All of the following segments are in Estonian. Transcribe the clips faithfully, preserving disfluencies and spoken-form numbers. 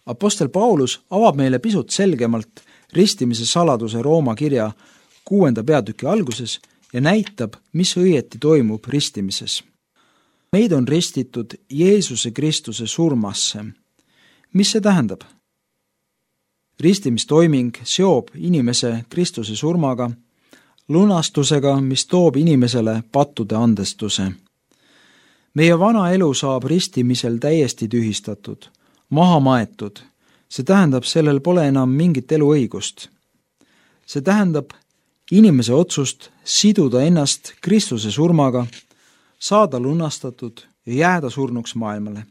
Apostel Paulus avab meile pisut selgemalt ristimise saladuse Rooma kirja kuuenda peatüki alguses ja näitab, mis õieti toimub ristimises. Meid on ristitud Jeesuse Kristuse surmasse. Mis see tähendab? Ristimistoiming seob inimese Kristuse surmaga, lunastusega, mis toob inimesele pattude andestuse. Meie vana elu saab ristimisel täiesti tühistatud, maha maetud. See tähendab, sellel pole enam mingit eluõigust. See tähendab inimese otsust siduda ennast Kristuse surmaga, saada lunastatud ja jääda surnuks maailmale.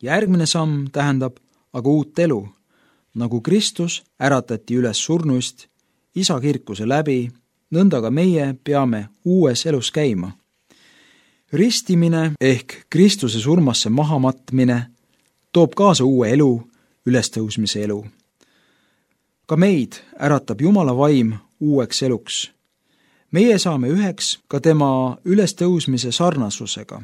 Järgmine samm tähendab aga uut elu, nagu Kristus äratati üles surnuist, isa kirkuse läbi, nõnda ka meie peame uues elus käima. Ristimine ehk Kristuse surmasse mahamatmine toob kaasa uue elu, ülestõusmise elu. Ka meid äratab Jumala vaim uueks eluks. Meie saame üheks ka tema ülestõusmise sarnasusega.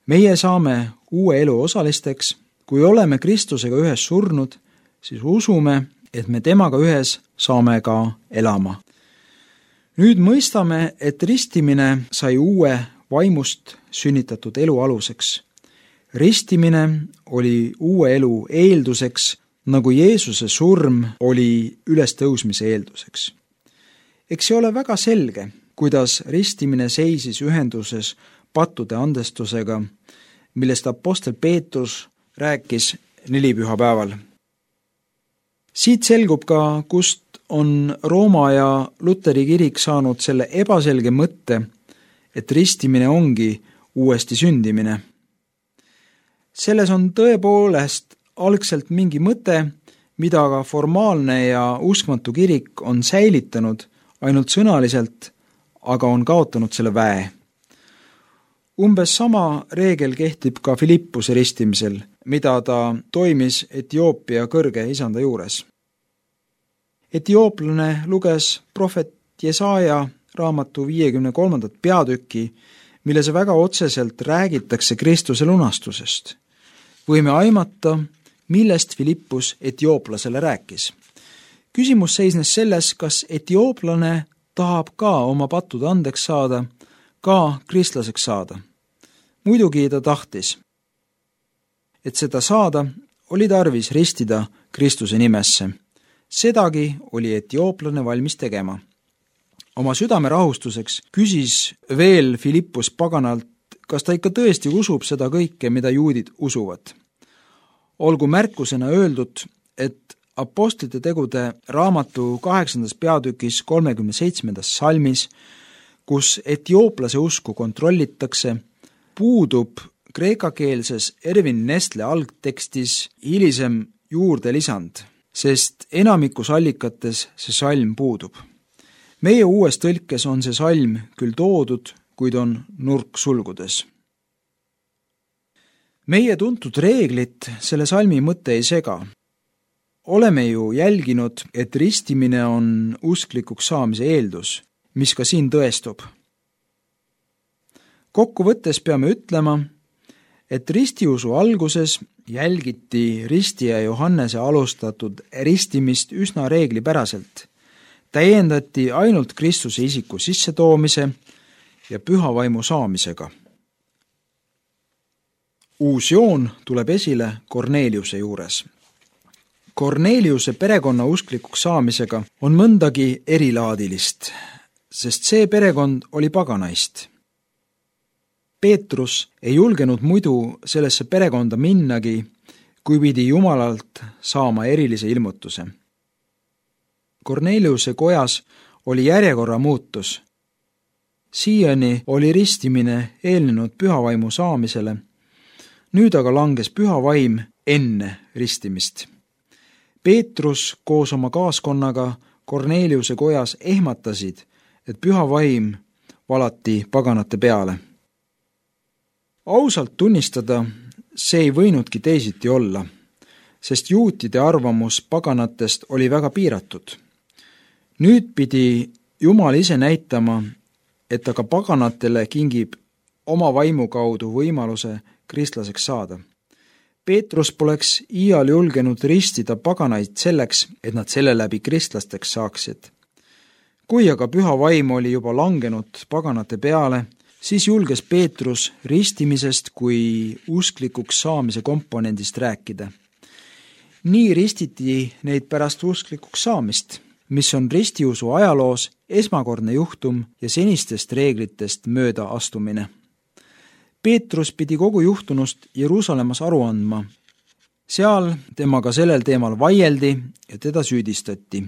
Meie saame uue elu osalisteks, kui oleme Kristusega ühes surnud, siis usume, et me temaga ühes saame ka elama. Nüüd mõistame, et ristimine sai uue vaimust sünnitatud elu aluseks. Ristimine oli uue elu eelduseks, nagu Jeesuse surm oli ülestõusmise eelduseks. Eks see ole väga selge, kuidas ristimine seisis ühenduses pattude andestusega, millest apostel Peetrus rääkis nelipühapäeval. Siit selgub ka, kust on Rooma ja Luteri kirik saanud selle ebaselge mõtte, et ristimine ongi uuesti sündimine. Selles on tõepoolest algselt mingi mõte, mida aga formaalne ja uskmatu kirik on säilitanud ainult sõnaliselt, aga on kaotanud selle väe. Umbes sama reegel kehtib ka Filippuse ristimisel, mida ta toimis Etioopia kõrge isanda juures. Etiooplane luges prohvet Jesaja raamatu viiekümne kolmandat peatükki, milles väga otseselt räägitakse Kristuse lunastusest. Võime aimata, millest Filippus etiooplasele rääkis. Küsimus seisnes selles, kas etiooplane tahab ka oma pattude andeks saada, ka kristlaseks saada. Muidugi ta tahtis. Et seda saada, oli tarvis ristida Kristuse nimesse. Sedagi oli etiooplane valmis tegema. Oma südame rahustuseks küsis veel Filippus paganalt, kas ta ikka tõesti usub seda kõike, mida juudid usuvad. Olgu märkusena öeldud, et apostlite tegude raamatu kaheksandas peatükis kolmekümne seitsmendas salmis, kus etiooplase usku kontrollitakse, puudub kreekakeelses Erwin Nestle algtekstis hilisem juurde lisand, sest enamikus allikates see salm puudub. Meie uues tõlkes on see salm küll toodud, kuid on nurksulgudes. Meie tuntud reeglit selle salmi mõte ei sega. Oleme ju jälginud, et ristimine on usklikuks saamise eeldus, mis ka siin tõestub. Kokkuvõttes peame ütlema, et ristiusu alguses jälgiti ristija Johannese alustatud ristimist üsna reeglipäraselt. Täiendati ainult Kristuse isiku sissetoomise ja püha vaimu saamisega. Uus joon tuleb esile Korneliuse juures. Korneliuse perekonna usklikuks saamisega on mõndagi erilaadilist, sest see perekond oli paganaist. Peetrus ei julgenud muidu sellesse perekonda minnagi, kui pidi Jumalalt saama erilise ilmutuse. Korneliuse kojas oli järjekorra muutus. Siiani oli ristimine eelnenud pühavaimu saamisele, nüüd aga langes pühavaim enne ristimist. Peetrus koos oma kaaskonnaga Korneliuse kojas ehmatasid, et pühavaim valati paganate peale. Ausalt tunnistada, see ei võinudki teisiti olla, sest juutide arvamus paganatest oli väga piiratud. Nüüd pidi Jumal ise näitama, et aga paganatele kingib oma vaimu kaudu võimaluse kristlaseks saada. Peetrus poleks iial julgenud ristida paganaid selleks, et nad selle läbi kristlasteks saaksid. Kui aga püha vaim oli juba langenud paganate peale, siis julges Peetrus ristimisest kui usklikuks saamise komponendist rääkida. Nii ristiti neid pärast usklikuks saamist, mis on ristiusu ajaloos esmakordne juhtum ja senistest reeglitest mööda astumine. Peetrus pidi kogu juhtunust Jeruusalemmas aru andma. Seal temaga sellel teemal vaieldi ja teda süüdistati.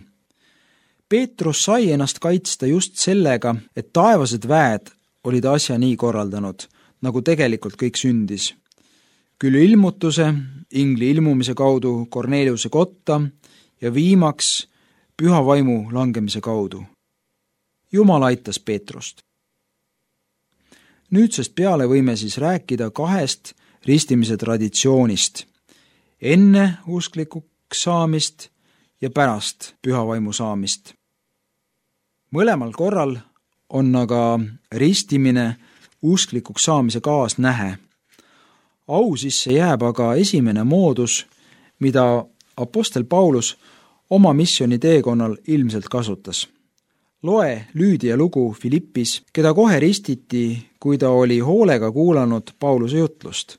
Peetrus sai ennast kaitsta just sellega, et taevased väed olid asja nii korraldanud, nagu tegelikult kõik sündis. Küll ilmutuse, ingli ilmumise kaudu Korneliuse kotta ja viimaks püha vaimu langemise kaudu. Jumal aitas Peetrust. Nüüdsest peale võime siis rääkida kahest ristimise traditsioonist. Enne usklikuks saamist ja pärast püha vaimu saamist. Mõlemal korral on aga ristimine usklikuks saamise kaasnähe. Au sisse jääb aga esimene moodus, mida apostel Paulus oma missiooni teekonnal ilmselt kasutas. Loe Lüüdia lugu Filippis, keda kohe ristiti, kui ta oli hoolega kuulanud Pauluse jutlust.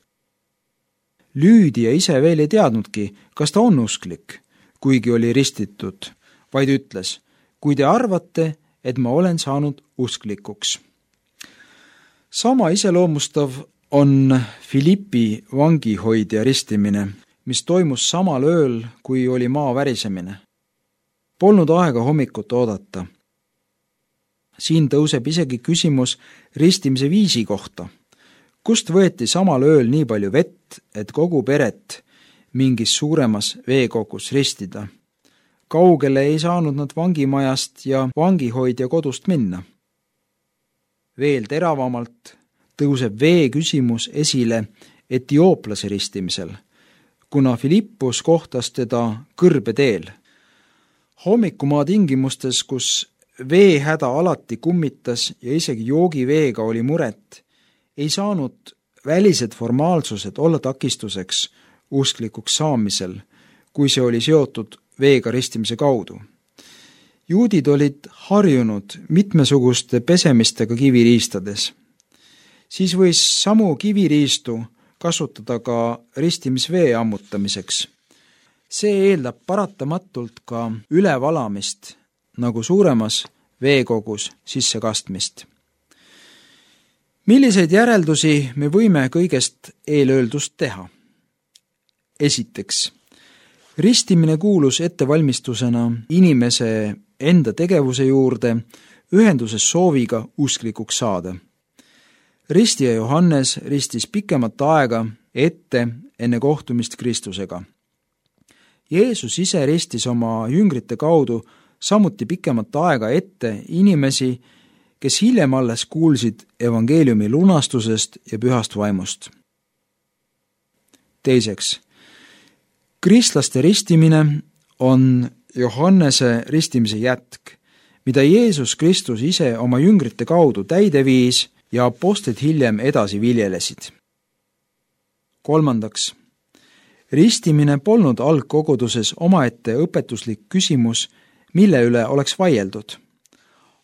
Lüüdia ise veel ei teadnudki, kas ta on usklik, kuigi oli ristitud, vaid ütles, kui te arvate, et ma olen saanud usklikuks. Sama iseloomustav on Filippi vangihoidja ristimine, mis toimus samal ööl, kui oli maa värisemine. Polnud aega hommikut oodata. Siin tõuseb isegi küsimus ristimise viisi kohta. Kust võeti samal ööl nii palju vett, et kogu peret mingis suuremas veekogus ristida? Kaugele ei saanud nad vangimajast ja vangihoidja kodust minna. Veel teravamalt tõuseb vee küsimus esile etiooplase ristimisel, kuna Filippus kohtas teda kõrbeteel. Hommikumaa tingimustes, kus veehäda alati kummitas ja isegi joogiveega oli muret, ei saanud välised formaalsused olla takistuseks usklikuks saamisel, kui see oli seotud veega ristimise kaudu. Juudid olid harjunud mitmesuguste pesemistega kiviriistades. Siis võis samu kiviriistu kasutada ka ristimisvee ammutamiseks. See eeldab paratamatult ka ülevalamist, nagu suuremas veekogus sisse kastmist. Milliseid järeldusi me võime kõigest eelöeldust teha? Esiteks, ristimine kuulus ettevalmistusena inimese enda tegevuse juurde ühenduses sooviga usklikuks saada. Ristija Johannes ristis pikemat aega ette enne kohtumist Kristusega. Jeesus ise ristis oma jüngrite kaudu samuti pikemat aega ette inimesi, kes hiljem alles kuulsid evangeeliumi lunastusest ja pühast vaimust. Teiseks, kristlaste ristimine on Johannese ristimise jätk, mida Jeesus Kristus ise oma jüngrite kaudu täide viis ja apostlid hiljem edasi viljelesid. Kolmandaks, ristimine polnud algkoguduses omaette õpetuslik küsimus, mille üle oleks vaieldud.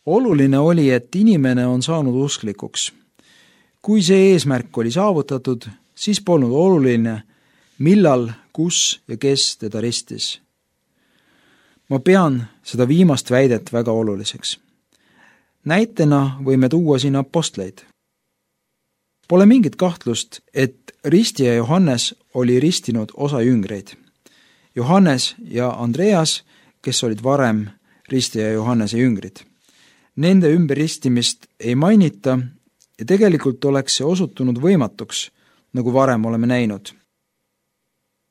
Oluline oli, et inimene on saanud usklikuks. Kui see eesmärk oli saavutatud, siis polnud oluline, millal, kus ja kes teda ristis. Ma pean seda viimast väidet väga oluliseks. Näitena võime tuua siin apostleid. Pole mingit kahtlust, et ristija Johannes oli ristinud osa jüngreid. Johannes ja Andreas, kes olid varem ristija Johannese jüngrid. Nende ümberristimist ei mainita ja tegelikult oleks see osutunud võimatuks, nagu varem oleme näinud.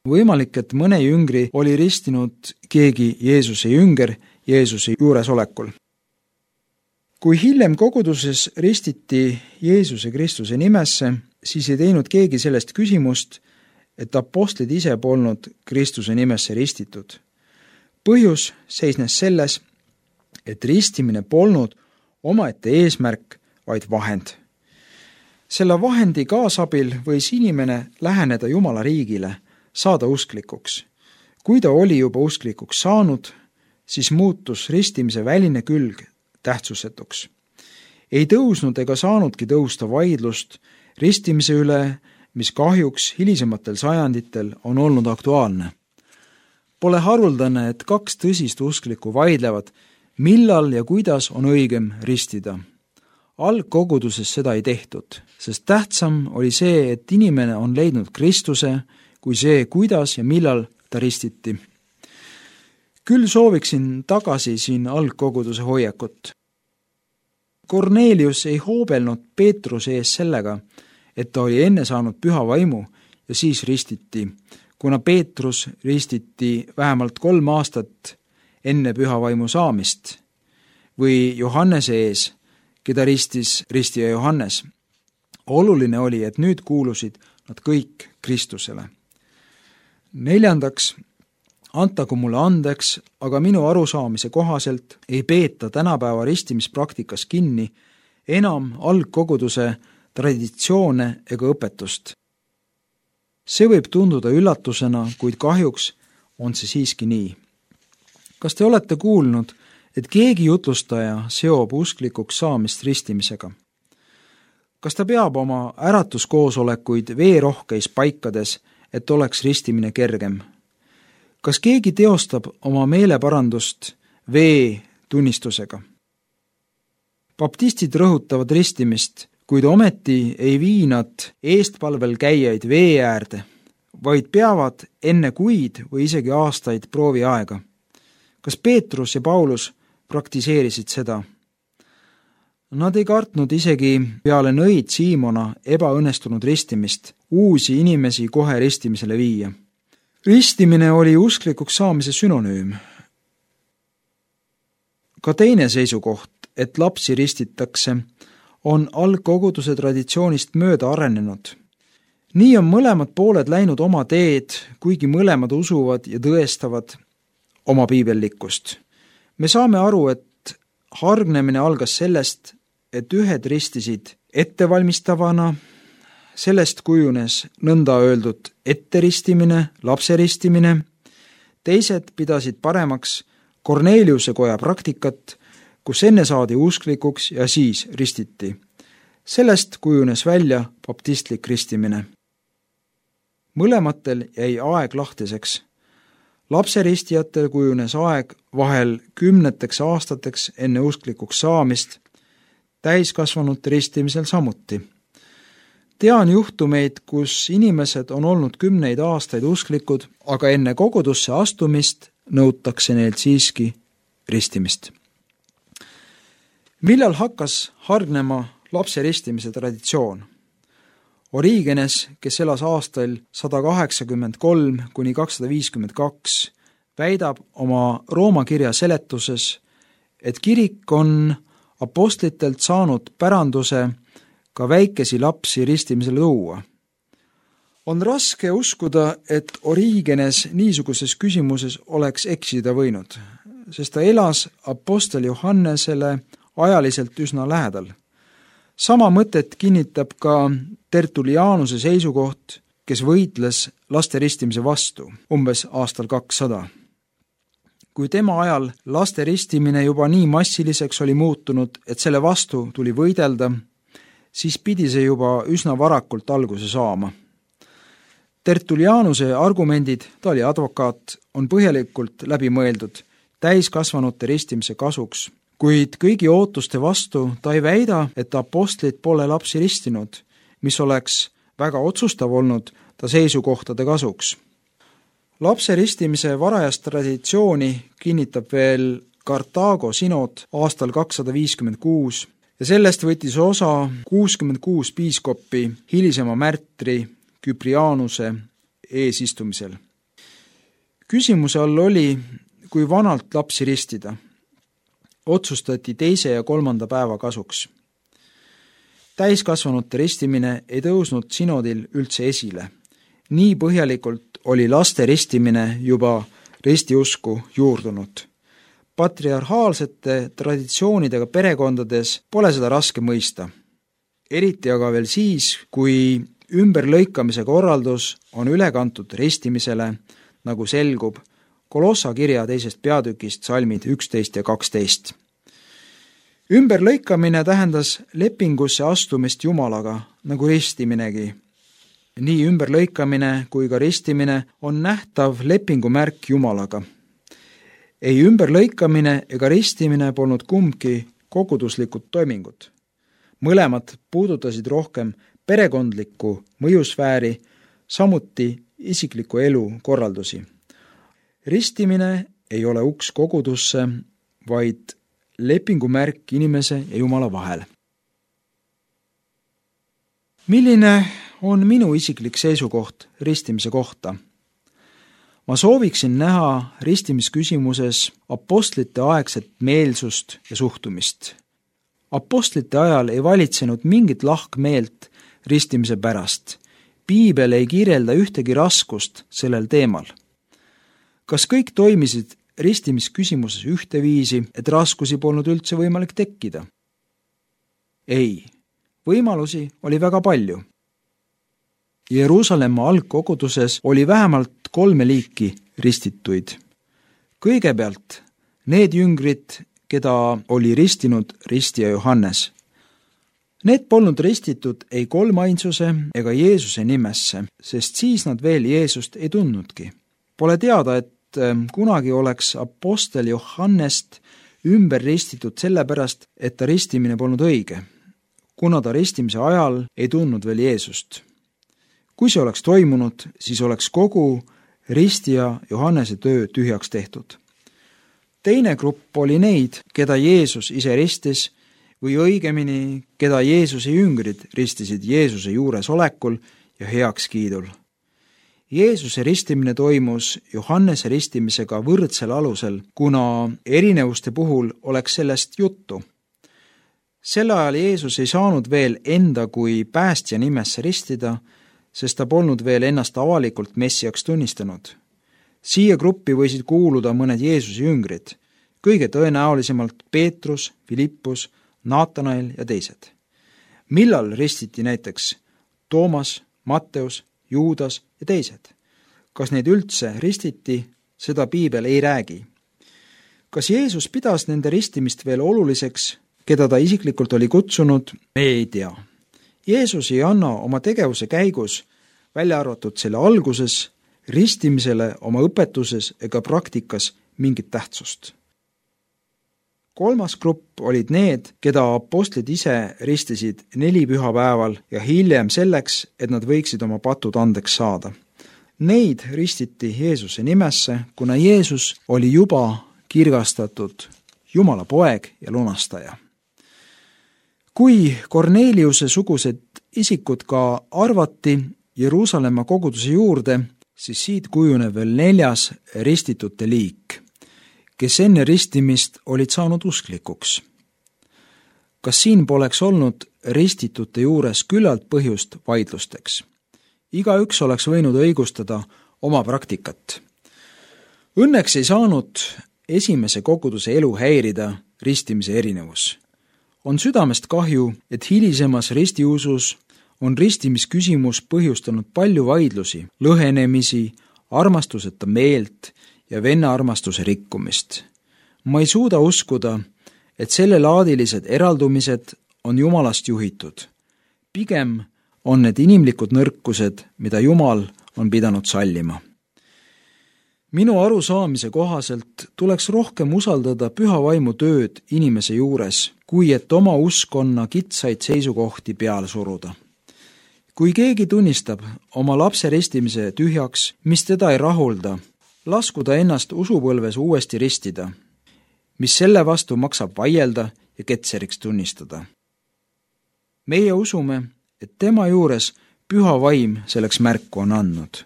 Võimalik, et mõne jüngri oli ristinud keegi Jeesuse jünger Jeesuse juuresolekul. Kui hiljem koguduses ristiti Jeesuse Kristuse nimesse, siis ei teinud keegi sellest küsimust, et apostlid ise polnud Kristuse nimesse ristitud. Põhjus seisnes selles, et ristimine polnud omaette eesmärk, vaid vahend. Selle vahendi kaasabil võis inimene läheneda Jumala riigile, saada usklikuks. Kui ta oli juba usklikuks saanud, siis muutus ristimise väline külg tähtsusetuks. Ei tõusnud ega saanudki tõusta vaidlust ristimise üle, mis kahjuks hilisematel sajanditel on olnud aktuaalne. Pole haruldane, et kaks tõsist usklikku vaidlevad, millal ja kuidas on õigem ristida. Algkoguduses seda ei tehtud, sest tähtsam oli see, et inimene on leidnud Kristuse, kui see, kuidas ja millal ta ristiti. Küll sooviksin tagasi siin algkoguduse hoiakut. Kornelius ei hoobelnud Peetruse ees sellega, et ta oli enne saanud püha vaimu ja siis ristiti, kuna Peetrus ristiti vähemalt kolm aastat enne püha vaimu saamist, või Johannese ees, keda ristis ristija Johannes. Oluline oli, et nüüd kuulusid nad kõik Kristusele. Neljandaks, antagu mulle andeks, aga minu arusaamise kohaselt ei peeta tänapäeva ristimispraktikas kinni enam algkoguduse traditsioone ega õpetust. See võib tunduda üllatusena, kuid kahjuks on see siiski nii. Kas te olete kuulnud, et keegi jutlustaja seob usklikuks saamist ristimisega? Kas ta peab oma äratuskoosolekuid veerohkeis paikades, et oleks ristimine kergem? Kas keegi teostab oma meeleparandust vee tunnistusega? Baptistid rõhutavad ristimist, kuid ometi ei vii nad eestpalvel käijaid vee äärde, vaid peavad enne kuid või isegi aastaid proovi aega. Kas Peetrus ja Paulus praktiseerisid seda? Nad ei kartnud isegi peale nõid Siimona ebaõnnestunud ristimist uusi inimesi kohe ristimisele viia. Ristimine oli usklikuks saamise sünonüüm. Ka teine seisukoht, et lapsi ristitakse, on algkoguduse traditsioonist mööda arenenud. Nii on mõlemad pooled läinud oma teed, kuigi mõlemad usuvad ja tõestavad oma piibellikkust. Me saame aru, et hargnemine algas sellest, et ühed ristisid ettevalmistavana, sellest kujunes nõnda öeldud etteristimine, lapseristimine, teised pidasid paremaks Korneliuse koja praktikat, kus enne saadi usklikuks ja siis ristiti. Sellest kujunes välja baptistlik ristimine. Mõlematel jäi aeg lahtiseks. Lapseristijatel kujunes aeg vahel kümneteks aastateks enne usklikuks saamist, täiskasvanute ristimisel samuti. Tean juhtumeid, kus inimesed on olnud kümneid aastaid usklikud, aga enne kogudusse astumist nõutakse neilt siiski ristimist. Millal hakkas hargnema lapse ristimise traditsioon? Origenes, kes elas aastail sada kaheksakümmend kolm kuni kakssada viiskümmend kaks, väidab oma Rooma kirja seletuses, et kirik on apostlitelt saanud päranduse ka väikesi lapsi ristimisele tuua. On raske uskuda, et Origenes niisuguses küsimuses oleks eksida võinud, sest ta elas apostel Johannesele ajaliselt üsna lähedal. Sama mõtet kinnitab ka Tertulianuse seisukoht, kes võitles laste ristimise vastu, umbes aastal kakssada. Kui tema ajal laste ristimine juba nii massiliseks oli muutunud, et selle vastu tuli võidelda, siis pidi see juba üsna varakult alguse saama. Tertulianuse argumendid, ta oli advokaat, on põhjalikult läbi mõeldud täiskasvanute ristimise kasuks, kuid kõigi ootuste vastu ta ei väida, et apostlid pole lapsi ristinud, mis oleks väga otsustav olnud ta seisukohtade kasuks. Lapse ristimise varajast traditsiooni kinnitab veel Kartaago sinod aastal kakssada viiskümmend kuus ja sellest võttis osa kuuskümmend kuus piiskoppi hilisema märtri Küprianuse eesistumisel. Küsimuse all oli, kui vanalt lapsi ristida. Otsustati teise ja kolmanda päeva kasuks. Täiskasvanute ristimine ei tõusnud sinodil üldse esile. Nii põhjalikult oli laste ristimine juba ristiusku juurdunud. Patriarhaalsete traditsioonidega perekondades pole seda raske mõista. Eriti aga veel siis, kui ümberlõikamise korraldus on üle kantud ristimisele, nagu selgub Kolossa kirja teisest peatükist salmid üksteist ja kaksteist. Ümberlõikamine tähendas lepingusse astumist Jumalaga, nagu ristiminegi. Nii ümberlõikamine kui ka ristimine on nähtav lepingumärk Jumalaga. Ei ümberlõikamine ega ristimine polnud kumbki koguduslikud toimingud. Mõlemad puudutasid rohkem perekondlikku mõjusfääri, samuti isikliku elu korraldusi. Ristimine ei ole uks kogudusse, vaid lepingumärk inimese ja Jumala vahel. Milline on minu isiklik seisukoht ristimise kohta? Ma sooviksin näha ristimisküsimuses apostlite aegset meelsust ja suhtumist. Apostlite ajal ei valitsenud mingit lahkmeelt ristimise pärast. Piibel ei kirjelda ühtegi raskust sellel teemal. Kas kõik toimisid ristimisküsimuses ühteviisi, et raskusi polnud üldse võimalik tekkida? Ei, võimalusi oli väga palju. Jeruusalemma algkoguduses oli vähemalt kolme liiki ristituid. Kõigepealt need jüngrid, keda oli ristinud ristija Johannes. Need polnud ristitud ei kolmainsuse ega Jeesuse nimesse, sest siis nad veel Jeesust ei tundnudki. Pole teada, et kunagi oleks apostel Johannest ümber ristitud sellepärast, et ta ristimine polnud õige, kuna ta ristimise ajal ei tundnud veel Jeesust. Kui see oleks toimunud, siis oleks kogu ristija Johannese töö tühjaks tehtud. Teine grupp oli neid, keda Jeesus ise ristis, või õigemini, keda Jeesuse jüngrid ristisid Jeesuse juures olekul ja heakskiidul. Jeesuse ristimine toimus Johannese ristimisega võrdsel alusel, kuna erinevuste puhul oleks sellest juttu. Sel ajal Jeesus ei saanud veel enda kui päästja nimesse ristida, sest ta polnud veel ennast avalikult messiaks tunnistanud. Siia gruppi võisid kuuluda mõned Jeesuse jüngrid, kõige tõenäolisemalt Peetrus, Filippus, Naatanael ja teised. Millal ristiti näiteks Toomas, Matteus, Juudas ja teised? Kas neid üldse ristiti, seda Piibel ei räägi. Kas Jeesus pidas nende ristimist veel oluliseks, keda ta isiklikult oli kutsunud, me ei tea. Jeesus ei anna oma tegevuse käigus, välja arvatud selle alguses, ristimisele oma õpetuses ega praktikas mingit tähtsust. Kolmas grupp olid need, keda apostlid ise ristisid neli pühapäeval ja hiljem selleks, et nad võiksid oma patud andeks saada. Neid ristiti Jeesuse nimesse, kuna Jeesus oli juba kirgastatud Jumala poeg ja lunastaja. Kui Korneliuse sugused isikud ka arvati Jeruusalemma koguduse juurde, siis siit kujuneb veel neljas ristitute liik, kes enne ristimist olid saanud usklikuks. Kas siin poleks olnud ristitute juures küllalt põhjust vaidlusteks? Igaüks oleks võinud õigustada oma praktikat. Õnneks ei saanud esimese koguduse elu häirida ristimise erinevus. On südamest kahju, et hilisemas ristiusus on ristimisküsimus põhjustanud palju vaidlusi, lõhenemisi, armastuseta meelt ja venna armastuse rikkumist. Ma ei suuda uskuda, et sellelaadilised eraldumised on Jumalast juhitud. Pigem on need inimlikud nõrkused, mida Jumal on pidanud sallima. Minu arusaamise kohaselt tuleks rohkem usaldada püha vaimu tööd inimese juures, kui et oma uskonna kitsaid seisukohti peale suruda. Kui keegi tunnistab oma lapse ristimise tühjaks, mis teda ei rahulda, lasku ta ennast usupõlves uuesti ristida, mis selle vastu maksab vaielda ja ketseriks tunnistada. Meie usume, et tema juures püha vaim selleks märku on andnud.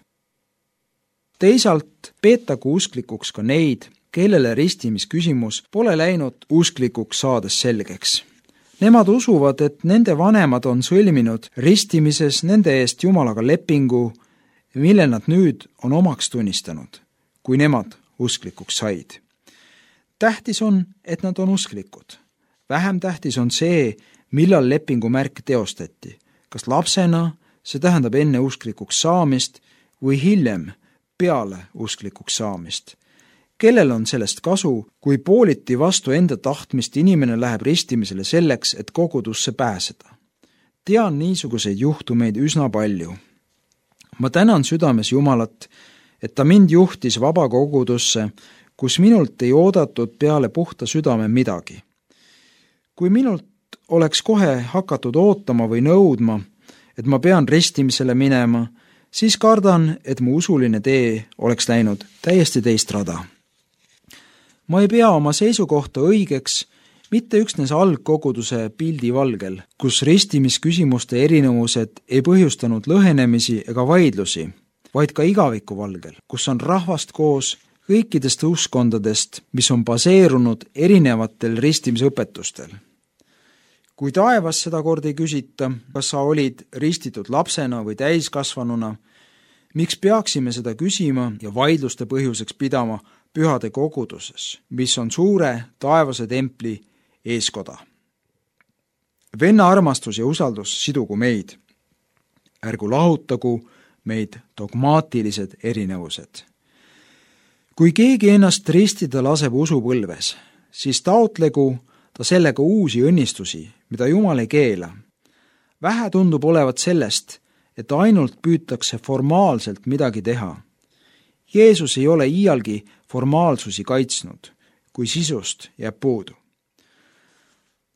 Teisalt peetagu usklikuks ka neid, kellele ristimisküsimus pole läinud usklikuks saades selgeks. Nemad usuvad, et nende vanemad on sõlminud ristimises nende eest Jumalaga lepingu, mille nad nüüd on omaks tunnistanud, kui nemad usklikuks said. Tähtis on, et nad on usklikud. Vähem tähtis on see, millal lepingu märk teostati, kas lapsena, see tähendab enne usklikuks saamist või hiljem peale usklikuks saamist. Kellel on sellest kasu, kui pooliti vastu enda tahtmist inimene läheb ristimisele selleks, et kogudusse pääseda? Tean niisuguseid juhtumeid üsna palju. Ma tänan südames Jumalat, et ta mind juhtis vabakogudusse, kus minult ei oodatud peale puhta südame midagi. Kui minult oleks kohe hakatud ootama või nõudma, et ma pean ristimisele minema, siis kardan, et mu usuline tee oleks läinud täiesti teist rada. Ma ei pea oma seisukohta õigeks mitte üksnes algkoguduse pildi valgel, kus ristimisküsimuste erinevused ei põhjustanud lõhenemisi ega vaidlusi, vaid ka igaviku valgel, kus on rahvast koos kõikidest uskondadest, mis on baseerunud erinevatel ristimisõpetustel. Kui taevas seda kord ei küsita, kas sa olid ristitud lapsena või täiskasvanuna, miks peaksime seda küsima ja vaidluste põhjuseks pidama pühade koguduses, mis on suure taevase templi eeskoda. Venna armastus ja usaldus sidugu meid. Ärgu lahutagu meid dogmaatilised erinevused. Kui keegi ennast ristida laseb usupõlves, siis taotlegu ta sellega uusi õnnistusi, mida Jumal ei keela. Vähe tundub olevat sellest, et ainult püütakse formaalselt midagi teha. Jeesus ei ole iialgi formaalsusi kaitsnud, kui sisust jääb puudu.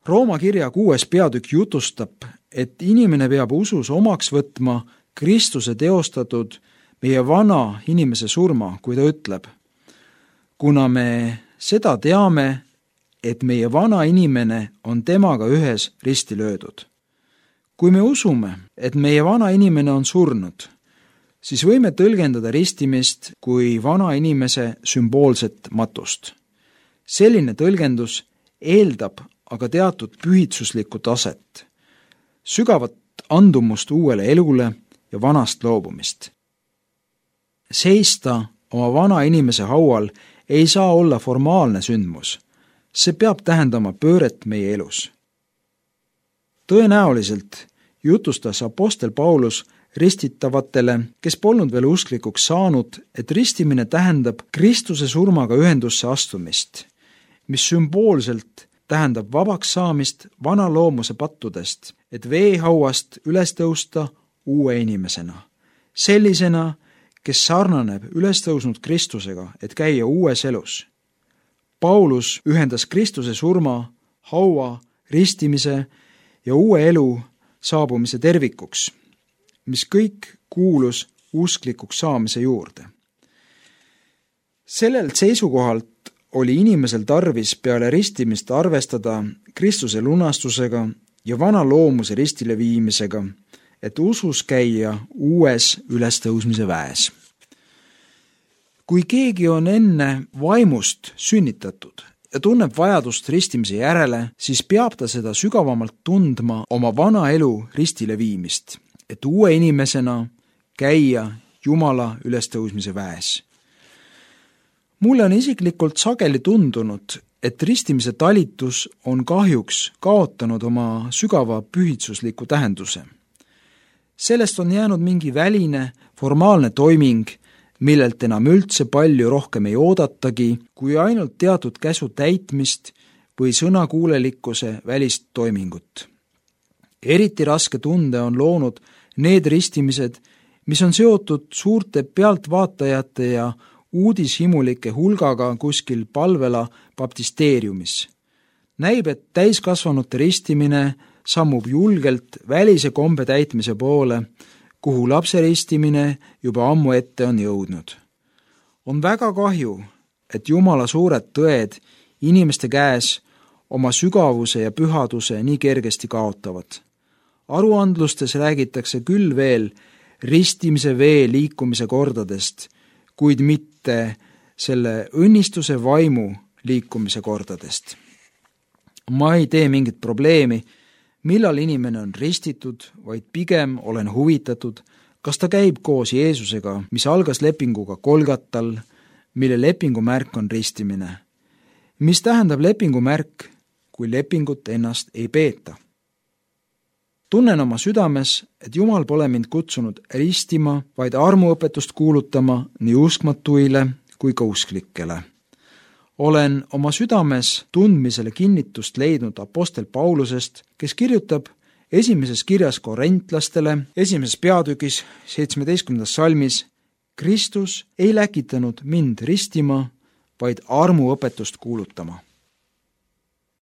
Rooma kirja kuues peatükk jutustab, et inimene peab usus omaks võtma Kristuse teostatud meie vana inimese surma, kui ta ütleb, kuna me seda teame, et meie vana inimene on temaga ühes risti löödud. Kui me usume, et meie vana inimene on surnud, siis võime tõlgendada ristimist kui vana inimese sümboolset matust. Selline tõlgendus eeldab aga teatud pühitsuslikku taset, sügavat andumust uuele elule ja vanast loobumist. Seista oma vana inimese haual ei saa olla formaalne sündmus. See peab tähendama pööret meie elus. Tõenäoliselt jutustas apostel Paulus ristitavatele, kes polnud veel usklikuks saanud, et ristimine tähendab Kristuse surmaga ühendusse astumist, mis sümboolselt tähendab vabaks saamist vana loomuse pattudest, et veehauast üles tõusta uue inimesena. Sellisena, kes sarnaneb üles tõusnud Kristusega, et käia uues elus. Paulus ühendas Kristuse surma, haua, ristimise ja uue elu saabumise tervikuks, mis kõik kuulus usklikuks saamise juurde. Sellelt seisukohalt oli inimesel tarvis peale ristimist arvestada Kristuse lunastusega ja vana loomuse ristile viimisega, et usus käia uues ülestõusmise väes. Kui keegi on enne vaimust sünnitatud ja tunneb vajadust ristimise järele, siis peab ta seda sügavamalt tundma oma vana elu ristile viimist, et uue inimesena käia Jumala ülestõusmise väes. Mulle on isiklikult sageli tundunud, et ristimise talitus on kahjuks kaotanud oma sügava pühitsusliku tähenduse. Sellest on jäänud mingi väline, formaalne toiming, millelt enam üldse palju rohkem ei oodatagi, kui ainult teatud käsu täitmist või sõnakuulelikkuse välist toimingut. Eriti raske tunde on loonud need ristimised, mis on seotud suurte pealtvaatajate ja uudishimulike hulgaga kuskil palvela baptisteeriumis. Näib, et täiskasvanute ristimine sammub julgelt välise kombe täitmise poole, kuhu lapse ristimine juba ammu ette on jõudnud. On väga kahju, et Jumala suured tõed inimeste käes oma sügavuse ja pühaduse nii kergesti kaotavad. Aruandlustes räägitakse küll veel ristimise vee liikumise kordadest, kuid mitte selle õnnistuse vaimu liikumise kordadest. Ma ei tee mingit probleemi, millal inimene on ristitud, vaid pigem olen huvitatud, kas ta käib koos Jeesusega, mis algas lepinguga Kolgatal, mille lepingumärk on ristimine. Mis tähendab lepingumärk, kui lepingut ennast ei peeta? tunnen oma südames, et Jumal pole mind kutsunud ristima, vaid armuõpetust kuulutama nii uskmatuile kui ka usklikele. Olen oma südames tundmisele kinnitust leidnud apostel Paulusest, kes kirjutab esimeses kirjas korintlastele, esimeses peatükis, seitsmeteistkümnendas salmis: Kristus ei läkitanud mind ristima, vaid armuõpetust kuulutama.